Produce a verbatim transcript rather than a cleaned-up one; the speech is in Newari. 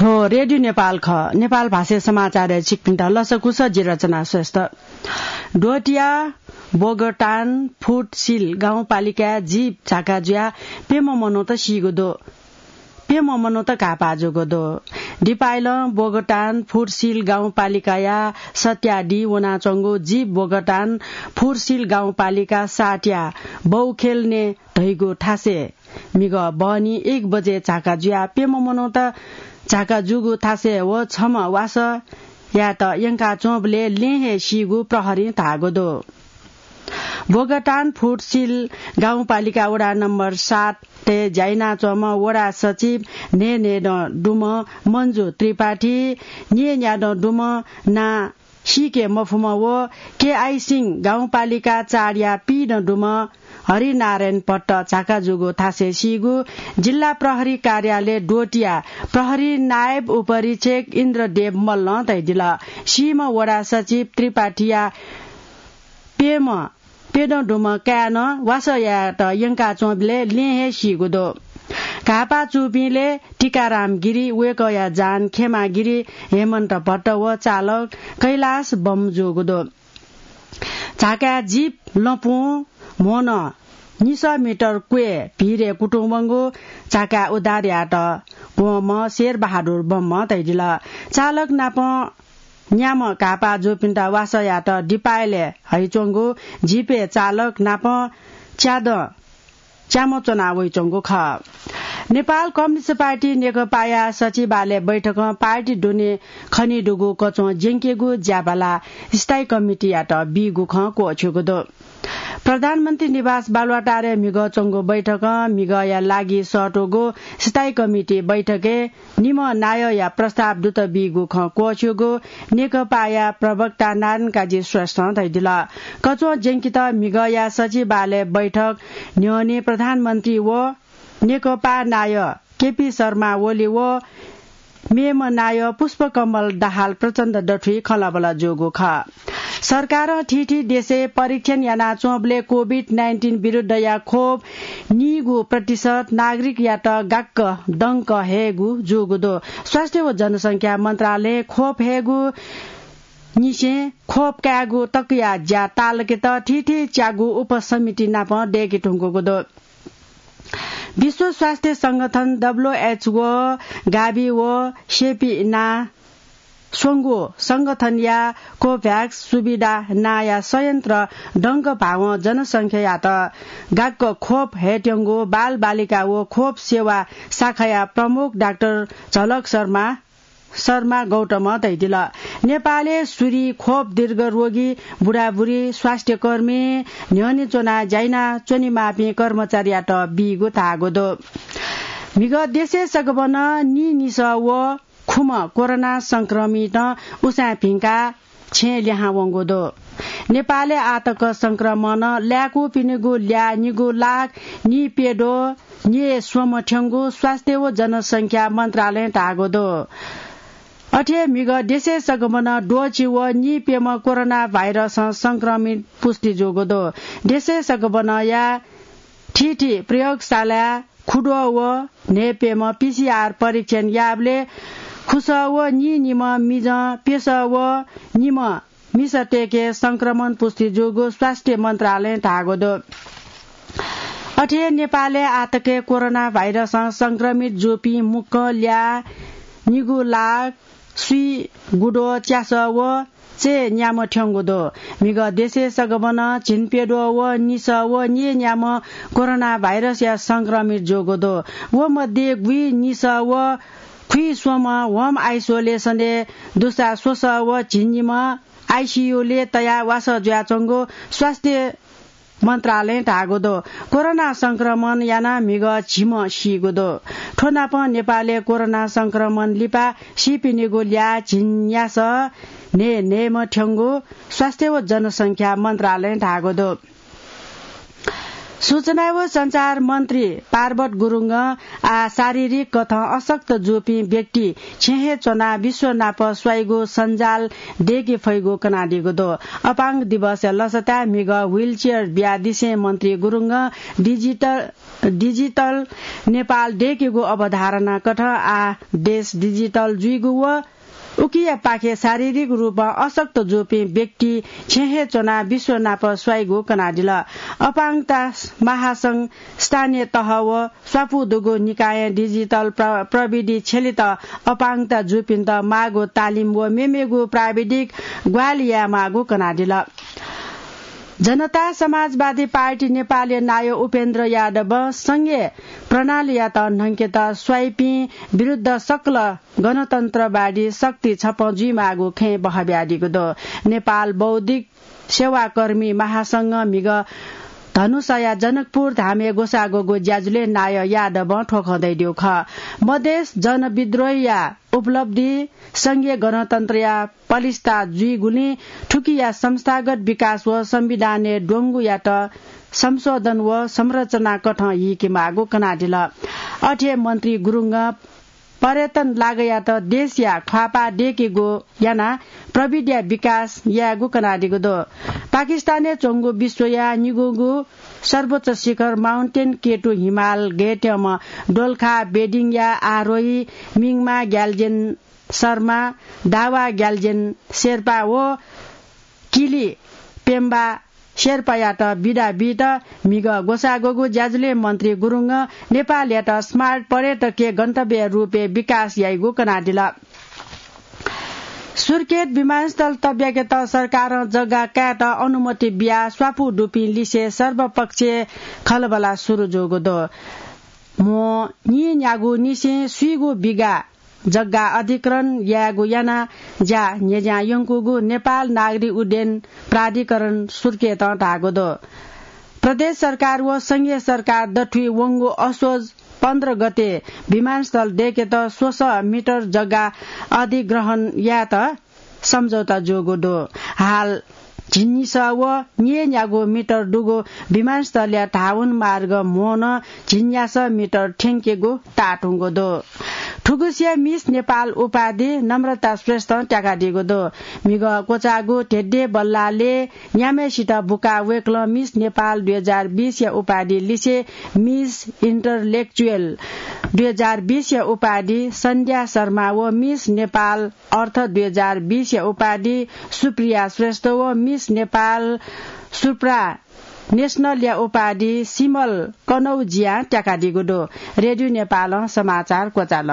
थ्व रेडियो नेपाल खः। नेपाल भाषाय् समाचारय् छिकपिन्त लसकुस, जि रचना श्रेष्ठ। द्वहतिया बोगटान फुटसिल गाउँपालिकाय् जीप झाका जुयाः प्यम्ह मनूत सीगु दु। प्यम्ह मनूत घाःपाः जूगु दु। दिपाइलं बोगटान फुटसिल गाउँपालिकाया सत्यादी वनाच्वंगु जीप बोगटान फुटसिल गाउँपालिका सातया बौखेल्ने धइगु थासय् म्हिगः बहनी एक बजे झाका जुयाः प्यम्ह मनूत झाका जूगु थासय् व छम्ह वासःयात यंकाच्वंबलय् लँय् हे सीगु प्रहरीं धाःगु दु। बोगटान फुटसिल गाउँपालिका वडा नम्बर सातय् ज्या यानाच्वंम्ह वडा सचिव न्हय्‌न्हय्‌दँ दुम्ह मन्जु त्रिपाठी, न्यय्‌न्यादँ दुम्ह नां सीके मफुम्ह व केआई सिंह गाउँपालिका चारया पीदँ दुम्ह हरिनारायण भट्ट झाका जूगु थासय् सीगु जिल्ला प्रहरी कार्यालय द्वहतिया प्रहरी नायब उपरीक्षक इन्द्रदेव मल्लं धयादिल। सीम्ह वडा सचिव त्रिपाठीया प्यम्ह प्यदँ दुम्ह काय्‌नं वासःयात यंकाच्वंबलय् लँय् हे सीगु दु। घाःपाः जूपिं लय् टीकाराम गिरी, वय्‌कःया जहान खेमा गिरी, हेमन्त भट्ट व चालक कैलाश बम जूगु दु। झाकाय् जीप लँपुं म्होनं निसः मिटर क्वय् भिरय् कुतुं वंगु झाकाय् उद्धार यायेत वंम्ह शेरबहादुर बमं धयादिल। चालक नाप न्याम्ह घाःपाः जूपिन्त वासःयात दिपायलय् हइच्वंगु जीपय् चालक नाप च्यादँ च्याम्ह च्वना वइच्वंगु खः। नेपाल कम्युनिस्ट पार्टी नेकपाया सचिवालय बैठकं पार्टी दुने खनीदुगु कच्वं ज्यंकेगु ज्याबाला स्थायी कमिटीयात बीगु खँ क्वःछ्यूगु दु। प्रधानमन्त्री निवास बालुवाटारय् म्हिगः च्वंगु बैठकं म्हिगःया लागि सःतूगु स्थायी कमिटी बैठकय् निम्ह नायःया प्रस्ताव दुत बीगु खँ क्वःछ्यूगु नेकपाया प्रवक्ता नारायण काजी श्रेष्ठं धयादिल। कच्वं ज्यंकेत म्हिगःया सचिवालय बैठक न्ह्यःने प्रधानमन्त्री व नेकपा नायः केपी शर्मा ओली व मेम्ह नायः पुष्पकमल दाहाल प्रचण्ड दथुइ खँल्हाबल्हा जूगु खः। सरकारं थीथी देशय् परीक्षण यानाच्वंबलय् कोभिड नाइन्टिन विरुद्धया खोप नीगू प्रतिशत नागरिकयात गाक्क दंक हयेगु जूगु दु। स्वास्थ्य व जनसंख्या मन्त्रालयं खोप हयेगु निसें खोप कायेगु तकया ज्या ताःलाकेत थीथी च्यागू उपसमिति नाप दय्‌के धुंकूगु दु। विश्व स्वास्थ्य संगठन, डब्ल्यूएचओ, गाभि व सेपी नां स्वंगू संगठनया कोभ्याक्स सुविधा नांया संयन्त्र दंक भावं जनसंख्यायात गाक्क खोप हयेत्यंगु बालबालिका व खोप सेवा शाखाया प्रमुख डाक्टर झलक शर्मा शर्मा गौतमं धयादिल। नेपालय् सुरि खोप दीर्घ रोगी, बुढाबुढी, स्वास्थ्यकर्मी, न्ह्यःने च्वनाः ज्या यानाच्वनेमाःपिं कर्मचारीयात बीगु धाःगु दु। म्हिगः देशय् सकभनं नीनिसः व खुम्ह कोरोना संक्रमितं उसाँय् भिंकाः छेँय् लिहां वंगु दु। नेपालय् आःतक संक्रमणं लाय्‌कूपिनिगु ल्याः निगू लाख नीप्यद्वः नीस्वम्ह थ्यंगु स्वास्थ्य व जनसंख्या मन्त्रालयं धाःगु दु। अथे हे म्हिगः देशय् सकभनं द्वःछि व नीप्यम्ह कोरोना भाइरसं संक्रमित पुष्टि जूगु दु। देशय् सकभनंया थीथी प्रयोगशालाय् खुद्वः व न्हय्‌प्यम्ह पीसीआर परीक्षण याःबलय् खुसः व नीनिम्ह मिजं प्यसः व निम्ह मिसातय्‌के संक्रमण पुष्टि जूगु स्वास्थ्य मन्त्रालयं धाःगु दु। अथे हे नेपालय् आःतक कोरोना भाइरसं संक्रमित जूपिं मुक्कं ल्याः निगू लाख स्वीगुद्वः च्यासः व चय्‌न्याम्ह थ्यंगु दु। म्हिगः देशय् सकभनं झिंप्यद्वः व निसः व नीन्याम्ह कोरोना भाइरसया संक्रमित जूगु दु। व मध्ये गुइनिसः व खुइस्वम्ह होम आइसोलेसनय् दुसा स्वसः व झिंनिम्ह आइसियुलय् तयाः वासः जुयाच्वंगु स्वास्थ्य मन्त्रालयं धाःगु दु। कोरोना संक्रमण यानाः म्हिगः झिम्ह सीगु दु। थ्व नाप नेपालय् कोरोना संक्रमण लिपा सीपिनिगु ल्याः झिंन्यासः न्हय्‌न्हय्‌म्ह थ्यंगु स्वास्थ्य व जनसंख्या मन्त्रालयं धाःगु दु। सूचना व सञ्चार मन्त्री पार्वत गुरुङं आः शारीरिक कथं अशक्त जूपिं व्यक्ति छेँ हे च्वनाः विश्व नाप स्वाइगु सञ्जाल दय्के फइगु कनादीगु दु। अपाङ्ग दिवसया लसताय् म्हिगः wheelchair बियादिसें मन्त्री गुरुङं digital, digital नेपाल दय्केगु अवधारणा कथं आः देश digital जुइगु व उकिया पाखे शारीरिक रूपं अशक्त जूपिं व्यक्ति छेँ हे च्वनाः विश्व नाप स्वाइगु कनादिल। अपाङ्गता महासंघ स्थानीय तह व स्वापू दुगु निकायं digital प्र-, प्रविधि छ्यलेत अपाङ्गता जूपिन्त माःगु तालिम व मेमेगु प्राविधिक ग्वाहालि यायेमाःगु कनादिल। जनता समाजवादी पार्टी नेपालया नायः उपेन्द्र यादवं संघीय प्रणालीयात न्हंकेत स्वाइपिं विरुद्ध सकल गणतन्त्रवादी शक्ति छपं जुइमाःगु खँय् बहबियादीगु दु। नेपाल बौद्धिक सेवाकर्मी महासंघं म्हिगः धनुषाया जनकपुर धामय् ग्वसाः ग्वःगु ज्याझ्वलय् नायः यादवं थ्व खँ धयादीगु खः। मधेस जनविद्रोहया उपलब्धि संघीय गणतन्त्रया पलिस्था जुइगुलिं थुकिया संस्थागत विकास व संविधानय् द्वंगुयात संशोधन व संरचना कथं हीकेमाःगु कनादिल। अथे मन्त्री गुरुङं पर्यटन लागयात देशया ख्वाःपाः दय्केगु यानाः प्रविधिया विकास यायेगु कनादीगु दु। पाकिस्तानय् च्वंगु विश्वया निगूगु सर्वोच्च शिखर माउन्टेन केटु हिमाल गय्त्यंम्ह दोलखा बेडिङया आरोही मिङमा ग्याल्जेन शर्मा, दावा ग्याल्जेन शेर्पा व किली पेम्बा शेर्पायात बिदा बीत म्हिगः ग्वसाः ग्वःगु ज्याझ्वलय् मन्त्री गुरुङं नेपालयात smart पर्यटकीय गन्तव्य रूपय् विकास याइगु कनादिल। सुर्खेत विमानस्थल तब्याकेत सरकारं जग्गा कायेत अनुमति बियाः स्वापू दुपिं लिसे सर्वपक्षीय खँल्हाबल्हा सुरु जूगु दु। म्हो नीन्यागू निसें स्वीगू बिघा जग्गा अधिग्रहण यायेगु यानाः ज्या न्ह्यज्यां यंकूगु नेपाल नागरिक उड्डयन प्राधिकरण सुर्खेतं धाःगु दु। प्रदेश सरकार व संघीय सरकार दथुइ वंगु असोज पन्ध्र गते विमानस्थल दय्केत स्वसः मिटर जग्गा अधिग्रहण यायेत सम्झौता जूगु दु। हाल झिंनिसः व नीन्यागू मिटर दुगु विमानस्थलया धावन मार्ग म्होनं झिंन्यासः मिटर थ्यंकेगु ताःधुंगु दु। थुगुसिया मिस नेपाल उपाधि नम्रता श्रेष्ठं त्याकादीगु दु। म्हिगः क्वचाःगु धेधे बल्लालय् न्याम्हय्सित बुकाः वय्कलं मिस नेपाल दुई हजार बीसया उपाधि लिसे मिस इन्टरलेक्चुएल दुई हजार बीसया उपाधि सन्ध्या शर्मा व मिस नेपाल अर्थ दुई हजार बीसया उपाधि सुप्रिया श्रेष्ठ व मिस नेपाल सुप्रा नेसनलया उपाधि सिमल कनौजियां त्याकादीगु दु। रेडियो नेपालं समाचार क्वचाल।